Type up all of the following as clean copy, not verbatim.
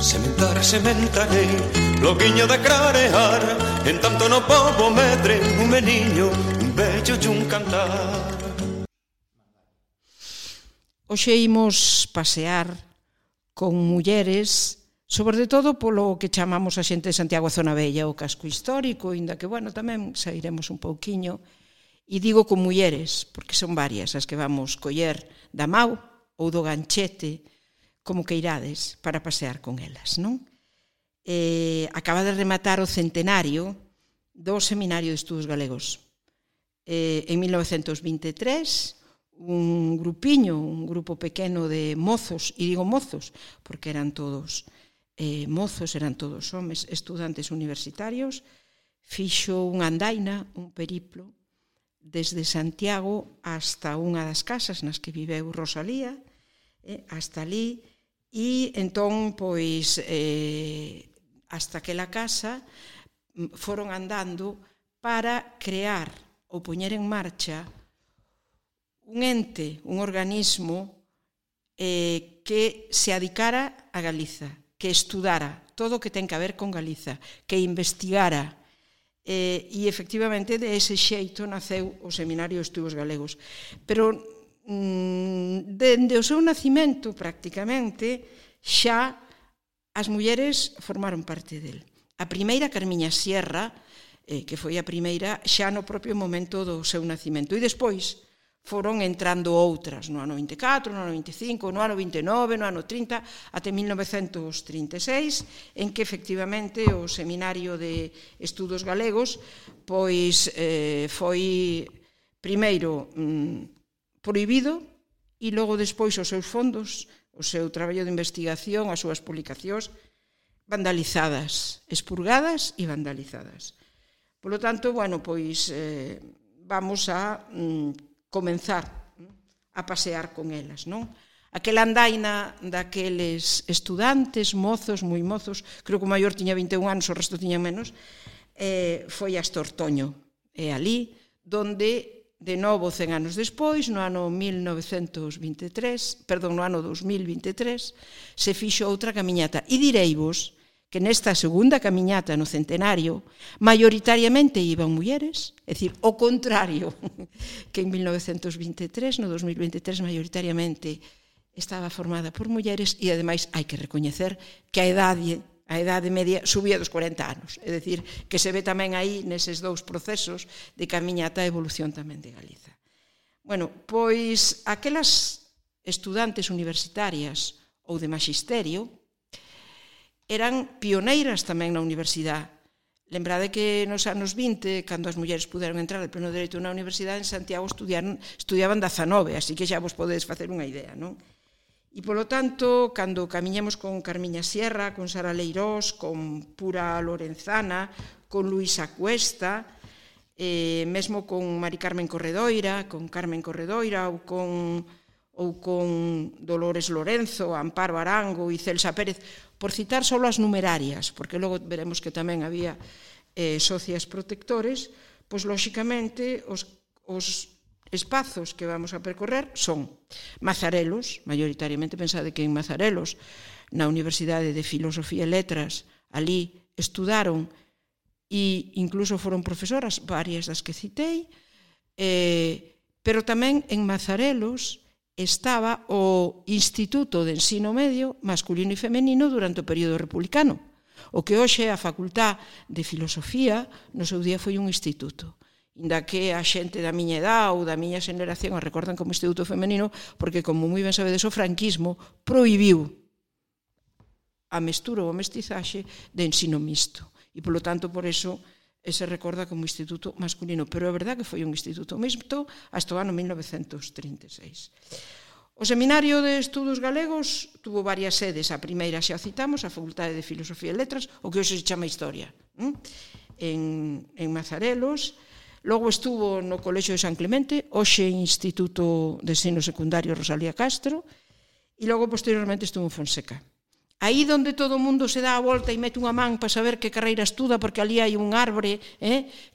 sementarei, loguiño de clarear, en tanto no pobo medre, un meniño, un bello e un cantar. Hoxe imos pasear con mulleres, sobre todo polo que chamamos a xente de Santiago a Zona Vella, o casco histórico, inda que, bueno, tamén sairemos un pouquiño. E digo con mulleres, porque son varias as que vamos coller da Mau ou do Ganchete, como que irades, para pasear con elas, non? Acaba de rematar o centenario do Seminario de Estudos Galegos. En 1923, un grupo pequeno de mozos, e digo mozos, porque eran todos mozos, eran todos homes, estudantes universitarios, fixo unha andaina, un periplo, desde Santiago hasta unha das casas nas que viveu Rosalía, hasta ali, e entón, pois, hasta aquela casa, foron andando para crear ou poñer en marcha un ente, un organismo que se adicara a Galiza, que estudara todo o que ten que ver con Galiza, que investigara, e efectivamente de ese xeito naceu o Seminario de Estudos Galegos. Pero dende o seu nacimento, prácticamente, xa as mulleres formaron parte del. A primeira, Carmiña Sierra, que foi a primeira xa no propio momento do seu nacimento, e despois foron entrando outras no ano 24, no ano 25, no ano 29, no ano 30, até 1936, en que efectivamente o Seminario de Estudos Galegos pois foi primeiro prohibido e logo despois os seus fondos, o seu traballo de investigación, as súas publicacións vandalizadas, expurgadas e vandalizadas. Por lo tanto, bueno, pois vamos a comenzar a pasear con elas, non? Aquela andaina daqueles estudantes, mozos, moi mozos, creo que o maior tiña 21 anos, o resto tiña menos, foi hasta Ortoño. E ali, donde, de novo, 100 anos despois, no ano 2023, se fixo outra camiñata. E direivos que nesta segunda camiñata no centenario maioritariamente iban mulleres, é dicir, o contrario que en 1923, no 2023 maioritariamente estaba formada por mulleres e ademais hai que recoñecer que a idade media subía dos 40 anos, é dicir, que se ve tamén aí neses dous procesos de camiñata a evolución tamén de Galiza. Bueno, pois aquelas estudantes universitarias ou de maxisterio eran pioneiras tamén na universidade. Lembrade que nos anos 20, cando as mulleres puderon entrar de pleno dereito na universidade, en Santiago estudiaban 19, así que xa vos podedes facer unha idea, non? E, polo tanto, cando camiñemos con Carmiña Sierra, con Sara Leirós, con Pura Lorenzana, con Luisa Cuesta, mesmo con Mari Carmen Corredoira, con Carmen Corredoira ou con Dolores Lorenzo, Amparo Arango e Celsa Pérez, por citar só as numerarias, porque logo veremos que tamén había socias protectores, pois, lóxicamente, os espazos que vamos a percorrer son Mazarelos, maioritariamente pensade que en Mazarelos, na Universidade de Filosofía e Letras, ali estudaron e incluso foron profesoras, varias das que citei, pero tamén en Mazarelos estaba o Instituto de Ensino Medio masculino e femenino durante o período republicano. O que hoxe é a Facultad de Filosofía, no seu día foi un instituto. Inda que a xente da miña edad ou da miña xeneración a recordan como instituto femenino, porque, como moi ben sabedes, o franquismo prohibiu a mestura ou a mestizaxe de ensino mixto. E, polo tanto, por eso se recorda como instituto masculino, pero é verdad que foi un instituto mixto hasta o ano 1936. O Seminario de Estudos Galegos tuvo varias sedes. A primeira xa citamos, a Facultade de Filosofía e Letras, o que hoxe se chama Historia, en Mazarelos. Logo estuvo no Colexio de San Clemente, hoxe Instituto de Ensino Secundario Rosalía Castro, e logo posteriormente estuvo en Fonseca. Aí donde todo o mundo se dá a volta e mete unha man para saber que carreira estuda, porque ali hai un árbore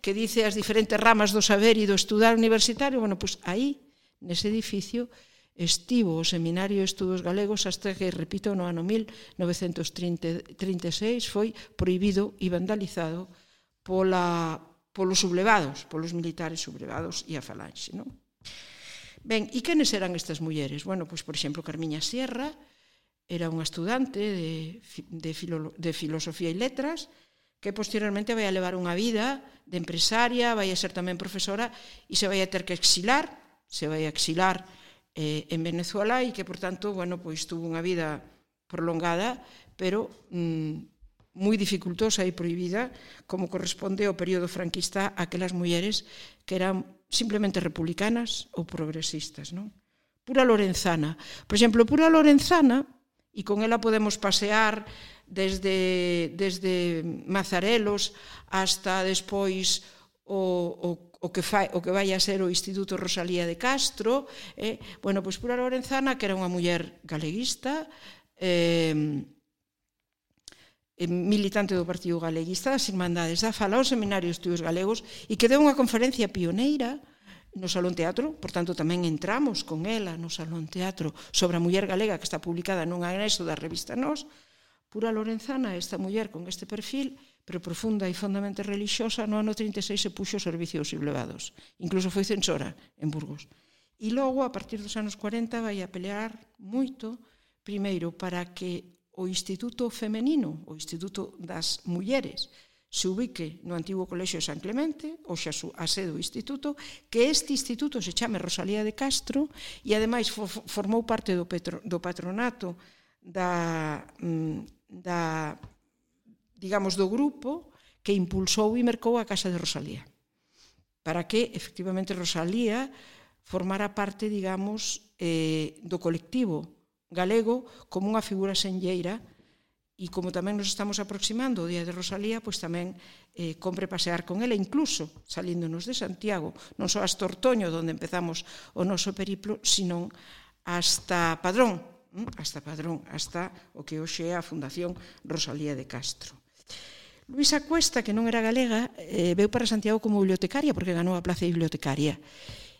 que dice as diferentes ramas do saber e do estudar universitario, bueno, pois aí, nese edificio, estivo o Seminario de Estudos Galegos hasta que, repito, no ano 1936 foi prohibido e vandalizado polos sublevados, polos militares sublevados e a falanxe, non? Ben, e quenes eran estas mulleres? Bueno, pois, por exemplo, Carmiña Sierra era unha estudante de filosofía e letras que posteriormente vai a levar unha vida de empresaria, vai a ser tamén profesora e se vai a ter que exilar, en Venezuela e que, por tanto, bueno, pois tuvo unha vida prolongada, pero moi dificultosa e prohibida, como corresponde ao período franquista a aquelas mulleres que eran simplemente republicanas ou progresistas, non? Pura Lorenzana. Por exemplo, Pura Lorenzana, e con ela podemos pasear desde Mazarelos hasta despois o que vai a ser o Instituto Rosalía de Castro. Bueno, pois Pura Lorenzana, que era unha muller galeguista, militante do Partido Galeguista, das Irmandades da Fala, ao Seminario de Estudos Galegos, e que deu unha conferencia pioneira no Salón Teatro, por tanto tamén entramos con ela no Salón Teatro sobre a muller galega, que está publicada nun anexo da revista Nós. Pura Lorenzana, esta muller con este perfil, pero profunda e fondamente relixiosa, no ano 36 se puxo ao servicio dos sublevados. Incluso foi censora en Burgos. E logo, a partir dos anos 40, vai a pelear moito, primeiro, para que o Instituto Femenino, o Instituto das Mulleres, se ubique no antigo Colexio de San Clemente, ou xa a sede do instituto, que este instituto se chame Rosalía de Castro e, ademais, formou parte do patronato digamos, do grupo que impulsou e mercou a Casa de Rosalía, para que, efectivamente, Rosalía formara parte, digamos, do colectivo galego como unha figura senlleira. E como tamén nos estamos aproximando ao Día de Rosalía, pois tamén compre pasear con ela, incluso salíndonos de Santiago, non só hasta Ortoño, onde empezamos o noso periplo, sino hasta Padrón, hasta o que hoxe é a Fundación Rosalía de Castro. Luisa Cuesta, que non era galega, veu para Santiago como bibliotecaria, porque ganou a plaza de bibliotecaria.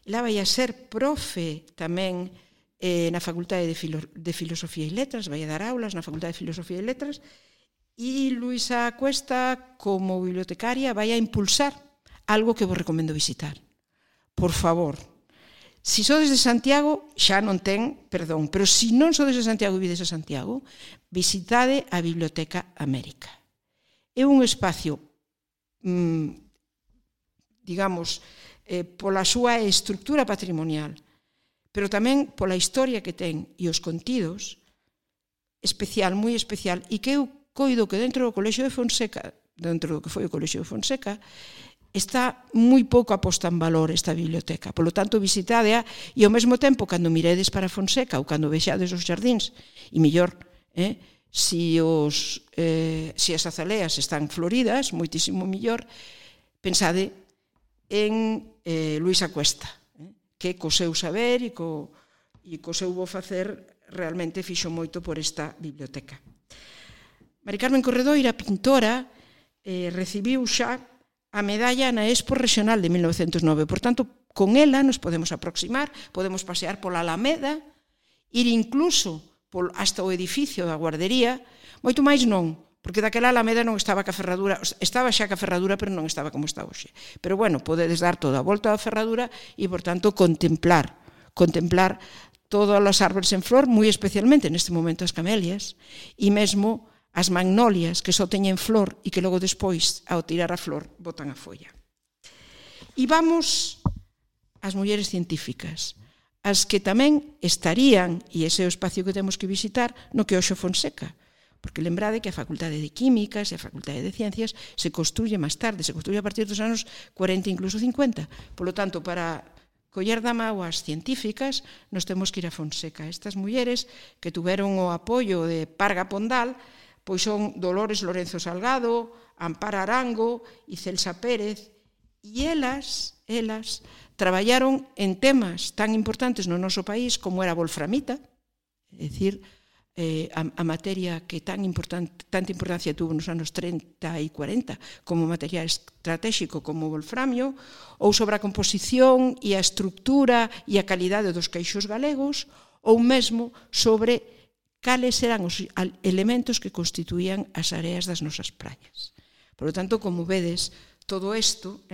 Ela vai a ser profe tamén na Facultade de Filosofía e Letras, vai a dar aulas na Facultade de Filosofía e Letras, e Luisa Cuesta, como bibliotecaria, vai a impulsar algo que vos recomendo visitar. Por favor, se sodes de Santiago, xa non ten perdón, pero se non sodes de Santiago e vides a Santiago, visitade a Biblioteca América. É un espacio, digamos, pola súa estructura patrimonial, pero tamén pola historia que ten e os contidos, especial, moi especial, e que eu coido que dentro do Colexio de Fonseca, dentro do que foi o Colexio de Fonseca, está moi pouco aposta en valor esta biblioteca. Por lo tanto, visitádea e ao mesmo tempo, cando miredes para Fonseca ou cando vexades os xardíns, e mellor, se as azaleas están floridas, moitísimo mellor, pensade en Luisa Cuesta, que co seu saber e co seu bo facer realmente fixo moito por esta biblioteca. Mari Carmen Corredoira, pintora, recibiu xa a medalla na Expo Regional de 1909. Por tanto, con ela nos podemos aproximar, podemos pasear pola Alameda, ir incluso hasta o edificio da guardería, moito máis non, porque daquela Alameda non estaba ca ferradura, estaba xa ca ferradura, pero non estaba como está hoxe. Pero bueno, podedes dar toda a volta da ferradura e, por tanto, contemplar todas as árbores en flor, moi especialmente neste momento as camelias, e mesmo as magnolias que só teñen flor e que logo despois, ao tirar a flor, botan a folla. E vamos ás mulleres científicas, as que tamén estarían, e ese é o espacio que temos que visitar, no que hoxe Fonseca, porque lembrade que a Facultade de Químicas e a Facultade de Ciencias se construye máis tarde, se construye a partir dos anos 40, incluso 50. Por lo tanto, para coller da mau as científicas, nos temos que ir a Fonseca. Estas mulleres que tuveron o apoio de Parga Pondal, pois son Dolores Lorenzo Salgado, Amparo Arango e Celsa Pérez, e elas traballaron en temas tan importantes no noso país como era a wolframita, é dicir, a materia que tanta importancia tuvo nos anos 30 e 40 como material estratégico como o wolframio, ou sobre a composición e a estructura e a calidade dos queixos galegos, ou mesmo sobre cales eran os elementos que constituían as areas das nosas praias. Por lo tanto, como vedes, todo isto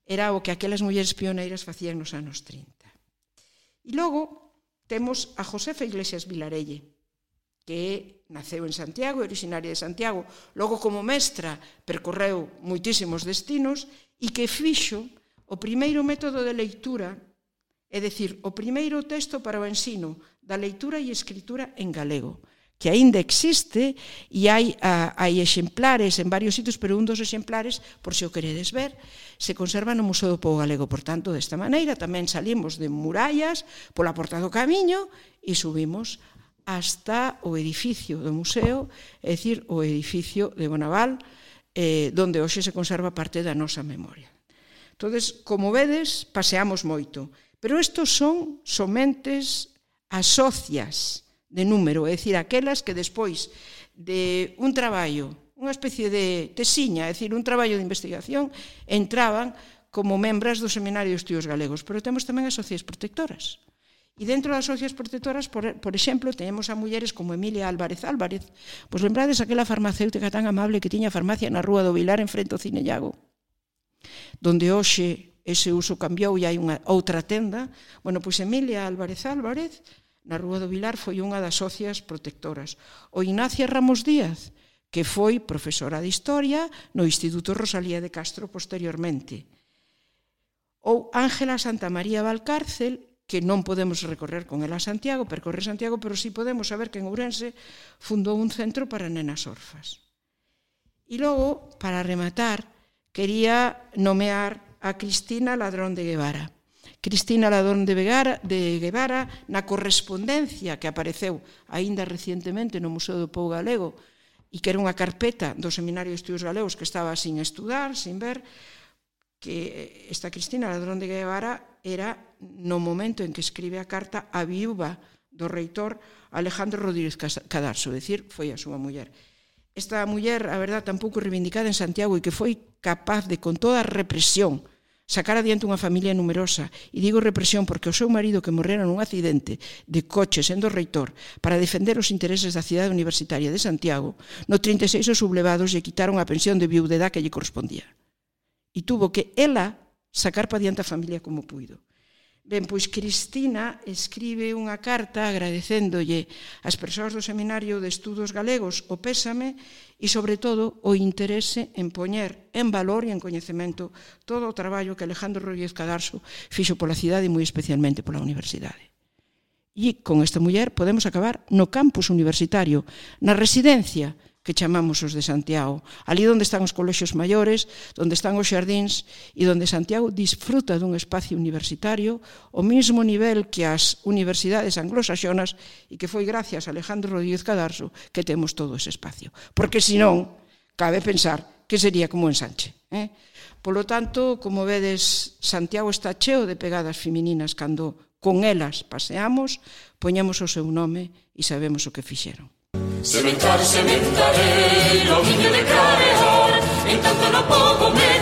era o que aquelas mulleres pioneiras facían nos anos 30. E logo temos a Josefa Iglesias Vilarelle, que naceu en Santiago, originaria de Santiago, logo como mestra percorreu moitísimos destinos e que fixo o primeiro método de leitura, é dicir, o primeiro texto para o ensino da leitura e escritura en galego, que aínda existe e hai exemplares en varios sitios, pero un dos exemplares, por se o queredes ver, se conserva no Museo do Pobo Galego. Por tanto, desta maneira, tamén salimos de Murallas pola Porta do Camiño e subimos hasta o edificio do museo, é dicir, o edificio de Bonaval, donde hoxe se conserva parte da nosa memoria. Entonces, como vedes, paseamos moito, pero estos son somentes as socias de número, é dicir, aquelas que despois de un traballo, unha especie de tesiña, é dicir, un traballo de investigación, entraban como membras do Seminario de Estudios Galegos, pero temos tamén as socias protectoras. E dentro das socias protectoras, por exemplo, temos a mulleres como Emilia Álvarez Álvarez. Pois lembrades aquela farmacéutica tan amable que tiña farmacia na Rúa do Vilar en frente ao Cine Llago, donde hoxe ese uso cambiou e hai unha outra tenda. Bueno, pois Emilia Álvarez Álvarez na Rúa do Vilar foi unha das socias protectoras. O Ignacia Ramos Díaz, que foi profesora de Historia no Instituto Rosalía de Castro posteriormente. Ou Ángela Santamaría Valcárcel, que non podemos recorrer con ela a Santiago, percorrer Santiago, pero sí podemos saber que en Ourense fundou un centro para nenas orfas. E logo, para rematar, quería nomear a Cristina Ladrón de Guevara. Cristina Ladrón de Guevara, na correspondencia que apareceu aínda recientemente no Museo do Pobo Galego e que era unha carpeta do Seminario de Estudios Galegos que estaba sin estudar, sin ver, que esta Cristina Ladrón de Guevara era no momento en que escribe a carta a viúva do reitor Alejandro Rodríguez Cadarso, é dicir, foi a súa muller. Esta muller, a verdad, tampouco reivindicada en Santiago e que foi capaz de, con toda a represión, sacar adiante unha familia numerosa. E digo represión porque o seu marido, que morrera nun accidente de coche sendo reitor para defender os intereses da cidade universitaria de Santiago, no 36 os sublevados lle quitaron a pensión de viudedad que lle correspondía. E tuvo que ela sacar para diante a familia como puido. Ben, pois Cristina escribe unha carta agradecéndolle ás persoas do Seminario de Estudos Galegos o pésame e, sobre todo, o interese en poñer en valor e en coñecemento todo o traballo que Alejandro Rodríguez Cadarso fixo pola cidade e moi especialmente pola universidade. E con esta muller podemos acabar no campus universitario, na residencia que chamamos os de Santiago, ali onde están os colexios maiores, onde están os xardíns e onde Santiago disfruta dun espacio universitario ao mesmo nivel que as universidades anglosaxonas e que foi gracias a Alejandro Rodríguez Cadarso que temos todo ese espacio. Porque senón, cabe pensar que sería como Ensanche. Polo tanto, como vedes, Santiago está cheo de pegadas femininas cando con elas paseamos, poñemos o seu nome e sabemos o que fixeron. Sementar, sementarei, o viño de clarear, en tanto no pobo me